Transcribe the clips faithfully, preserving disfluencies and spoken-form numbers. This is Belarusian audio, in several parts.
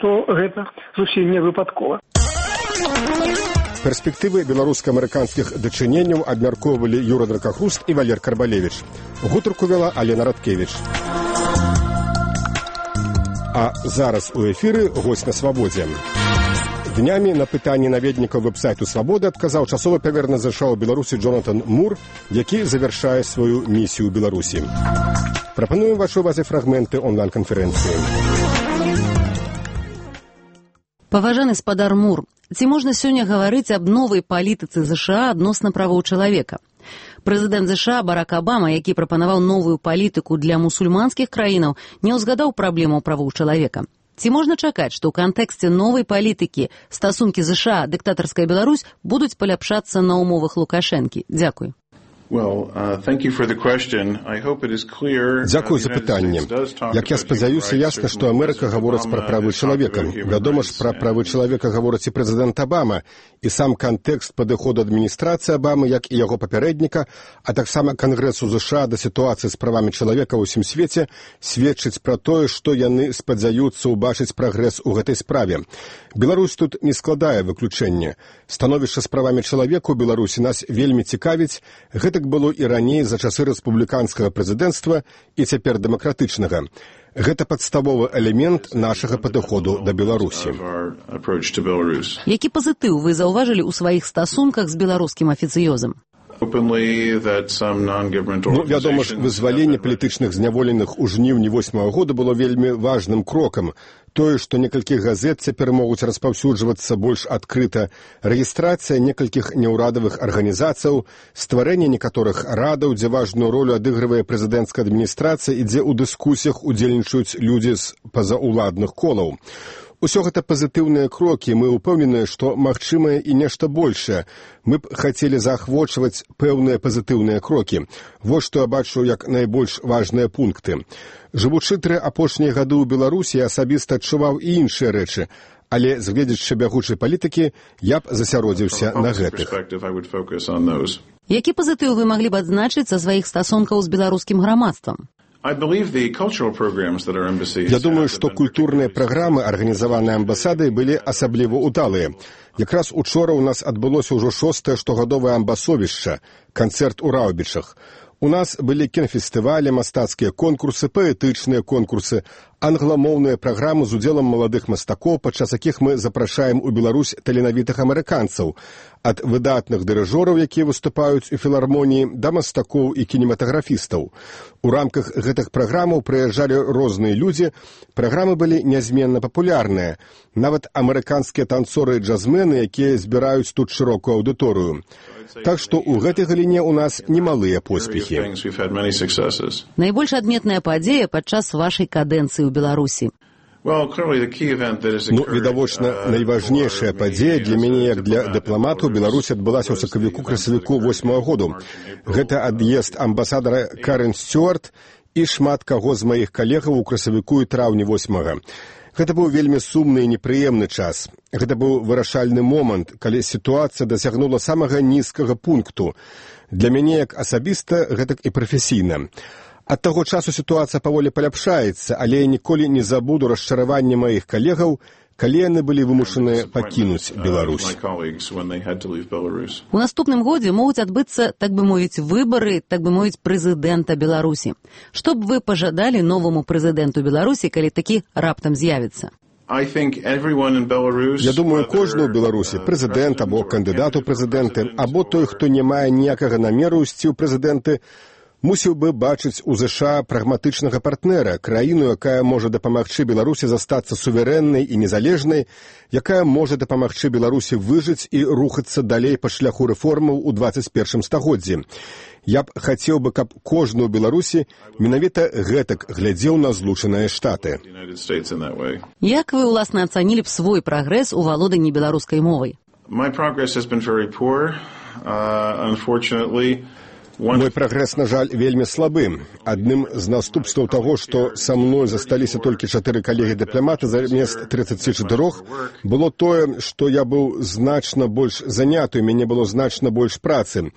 што гэта зусім не выпадкова. Перспектывы беларуска-амерыканскіх дачыненняў абмяркоўвалі Юра Дракахруст і Валер Карбалевіч. Гутарку вела Алена Радкевіч. А зараз у эфіры госць на свабодзе. Днямі на пытанні наведнікаў вэб-сайту «Свабода» адказаў часовы паверхневы ЗША ў Беларусі Джонатан Мур, які завяршае сваю місію ў Беларусі. Прапануем вашай увазе фрагменты онлайн-канферэнцыі. Паважаны спадар Мур, ці можна сёння гаварыць аб новай палітыцы ЗША адносна правоў чалавека? Прэзідэнт ЗША Барак Абама, які прапанаваў новую палітыку для мусульманскіх краінаў, не ўзгадаў праблему правоў чалавека. Ці можна чакаць, што ў кантэксце новай палітыкі стасункі ЗША, дыктатарская Беларусь будуць паляпшацца на ўмовах Лукашэнкі? Дзякуй. Дзякую за пытанне. Як я спадзяюся, ясна, што Амерыка гаворыць пра правы чалавека. Вядома ж, пра правы чалавека гаворыць і прэзідэнт Абама, і сам кантэкст падыходу адміністрацыі Абамы, як і яго папярэдніка, а таксама Кангрэсу ЗША да сітуацыі з правамі чалавека ў усім свеце сведчыць пра тое, што яны спадзяюцца ўбачыць прагрэс у гэтай справе. Беларусь тут не складае выключэнне. Становішча з правамі чалавека ў Беларусі нас вельмі цікавіць. Гэта было і раней за часы рэспубліканскага прэзідэнцтва і цяпер дэмакратычнага. Гэта падставовы элемент нашага падыходу да Беларусі. Які пазітыў вы заўважылі ў сваіх стасунках з беларускім афіцыёзам? Ну, вядома ж, вызваленне палітычных зняволеных у жніўні восьмага года было вельмі важным крокам. Тое, што некалькі газет цяпер могуць распаўсюджвацца больш адкрыта, рэгістрацыя некалькіх няўрадавых арганізацыяў, стварэнне некаторых радаў, дзе важную ролю адыгрывае прэзідэнцкая адміністрацыя і дзе ў дыскусіях удзельнічаюць людзі з пазаўладных колаў. Усё гэта пазітыўныя крокі, мы ўпэўненыя, што магчымае і нешта большае. Мы б хацелі заахвочваць пэўныя пазітыўныя крокі. Вось што я бачу як найбольш важныя пункты. Жывучы тры апошнія гады ў Беларусі, я асабіста адчуваў і іншыя рэчы, але, згледзячы бягучай палітыкі, я б засяродзіўся на гэтых. Які пазітыў вы маглі б адзначыць са сваіх стасункаў з беларускім грамадствам? Я думаю, што культурныя праграмы, арганізаваныя амбасадай, былі асабліва ўдалыя. Якраз учора ў нас адбылося ўжо шостае штогадовае амбасовішча, канцэрт у Раўбічах. У нас былі кінафестывалі, мастацкія конкурсы, паэтычныя конкурсы, англамоўныя праграмы з удзелам маладых мастакоў, падчас якіх мы запрашаем у Беларусь таленавітых амерыканцаў, ад выдатных дырыжораў, якія выступаюць у філармоніі, да мастакоў і кінематаграфістаў. У рамках гэтых праграмаў прыязджалі розныя людзі, праграмы былі нязменна папулярныя, нават амерыканскія танцоры і джазмены, якія збіраюць тут шырокую аўдыторыю. Так што ў гэтай галіне ў нас немалыя поспехі. Найбольш адметная падзея падчас вашай кадэнцыі ў Беларусі? Ну, відавочна, найважнейшая падзея для мяне, як для дыпламату, Беларусі адбылася ў сакавіку-красавіку восьмага году. Гэта ад'езд амбасадара Карен Стюарт і шмат каго з маіх калегаў у красавіку і траўні восьмага. Гэта быў вельмі сумны і непрыемны час. Гэта быў вырашальны момант, калі сітуацыя дасягнула самага нізкага пункту. Для мяне як асабіста, гэтак і прафесійна. Ад таго часу сітуацыя паволі паляпшаецца, але я ніколі не забуду расчараванне маіх калегаў, калі яны былі вымушаныя пакінуць Беларусь. У наступным годзе могуць адбыцца, так бы мовіць, выбары, так бы мовіць, прэзідэнта Беларусі. Што б вы пажадалі новаму прэзідэнту Беларусі, калі такі раптам з'явіцца? Я думаю, кожны ў Беларусі, прэзідэнт або кандыдат у прэзідэнты, або той, хто не мае ніякага намеру ісці ў прэзідэнты, мусіў бы бачыць у ЗША прагматычнага партнера, краіну, якая можа дапамагчы Беларусі застацца суверэннай і незалежнай, якая можа дапамагчы Беларусі выжыць і рухацца далей па шляху рэформаў у дваццаць першым стагоддзі. Я б хацеў бы, каб кожны ў Беларусі менавіта гэтак глядзеў на Злучаныя Штаты. Як вы, уласна, ацанілі б свой прагрэс у валоданні беларускай мовай? Мой прагрэс, на жаль, вельмі слабы. Адным з наступстваў таго, што са мной засталіся толькі чатыры калегі-дыпламаты замест трыццаці чатырох, было тое, што я быў значна больш заняты, у мяне было значна больш працы.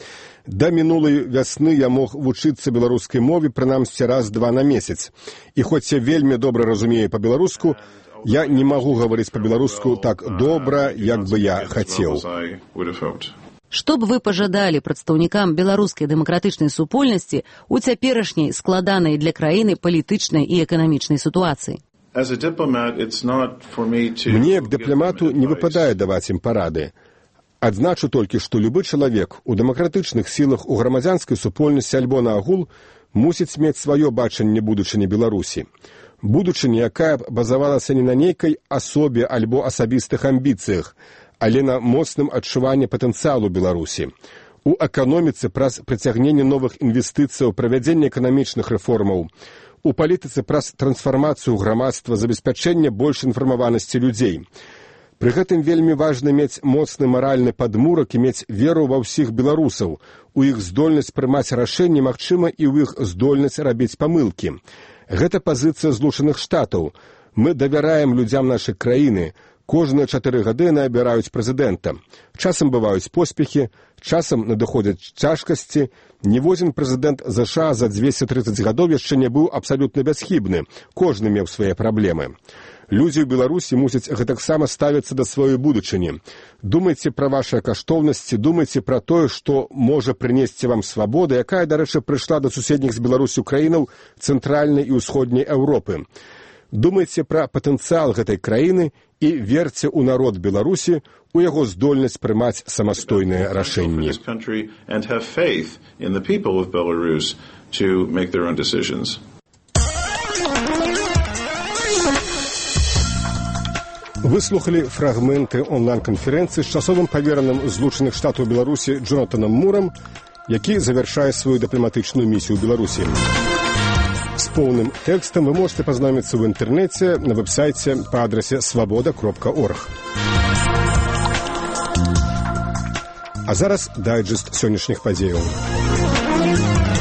Да мінулай вясны я мог вучыцца беларускай мове прынамсі раз-два на месяц. І хоць я вельмі добра разумею па-беларуску, Я не магу гаварыць па-беларуску так добра, як бы я хацеў. Што б вы пажадалі прадстаўнікам беларускай дэмакратычнай супольнасці ў цяперашняй складанай для краіны палітычнай і эканамічнай сітуацыі? Мне, як дыпламату, не выпадае даваць ім парады. Адзначу толькі, што любы чалавек у дэмакратычных сілах, у грамадзянскай супольнасці альбо наагул мусіць мець сваё бачанне будучыні Беларусі. Будучыня, якая базавалася не на нейкай асобе альбо асабістых амбіцыях, але на моцным адчуванні патэнцыялу Беларусі. У эканоміцы праз прыцягненне новых інвестыцыяў, правядзенне эканамічных рэформаў, у палітыцы праз трансфармацыю грамадства, забеспячэнне больш інфармаванасці людзей. Пры гэтым вельмі важна мець моцны маральны падмурак і мець веру ва ўсіх беларусаў, у іх здольнасць прымаць рашэнні, магчыма, і ў іх здольнасць рабіць памылкі. Гэта пазіцыя Злучаных Штатаў. Мы давяраем людзям нашай краіны. Кожныя чатыры гады набіраюць прэзідэнта. Часам бываюць поспехі, часам надыходзяць цяжкасці. Ніводзін прэзідэнт ЗША за дзвесце трыццаць гадоў яшчэ не быў абсалютна бясхібны. Кожны меў свае праблемы. Людзі ў Беларусі мусяць гэтаксама ставіцца да сваёй будучыні. Думайце пра вашыя каштоўнасці, думайце пра тое, што можа прынесці вам свабода, якая, дарэчы, прыйшла да суседніх з Беларусю краінаў цэнтральнай і ўсходняй Еўропы. Думайце пра патэнцыял гэтай краіны і верце ў народ Беларусі, у яго здольнасць прымаць самастойныя рашэнні. Выслухалі фрагменты онлайн-канферэнцыі з часовым павераным Злучаных Штатаў Беларусі Джонатанам Мурам, які завяршае сваю дыпламатычную місію ў Беларусі. З поўным тэкстам вы можете пазнаёміцца ў інтэрнэце на вэб-сайце па адрасе свабода кропка орг. А зараз дайджэст сённяшніх падзеяў.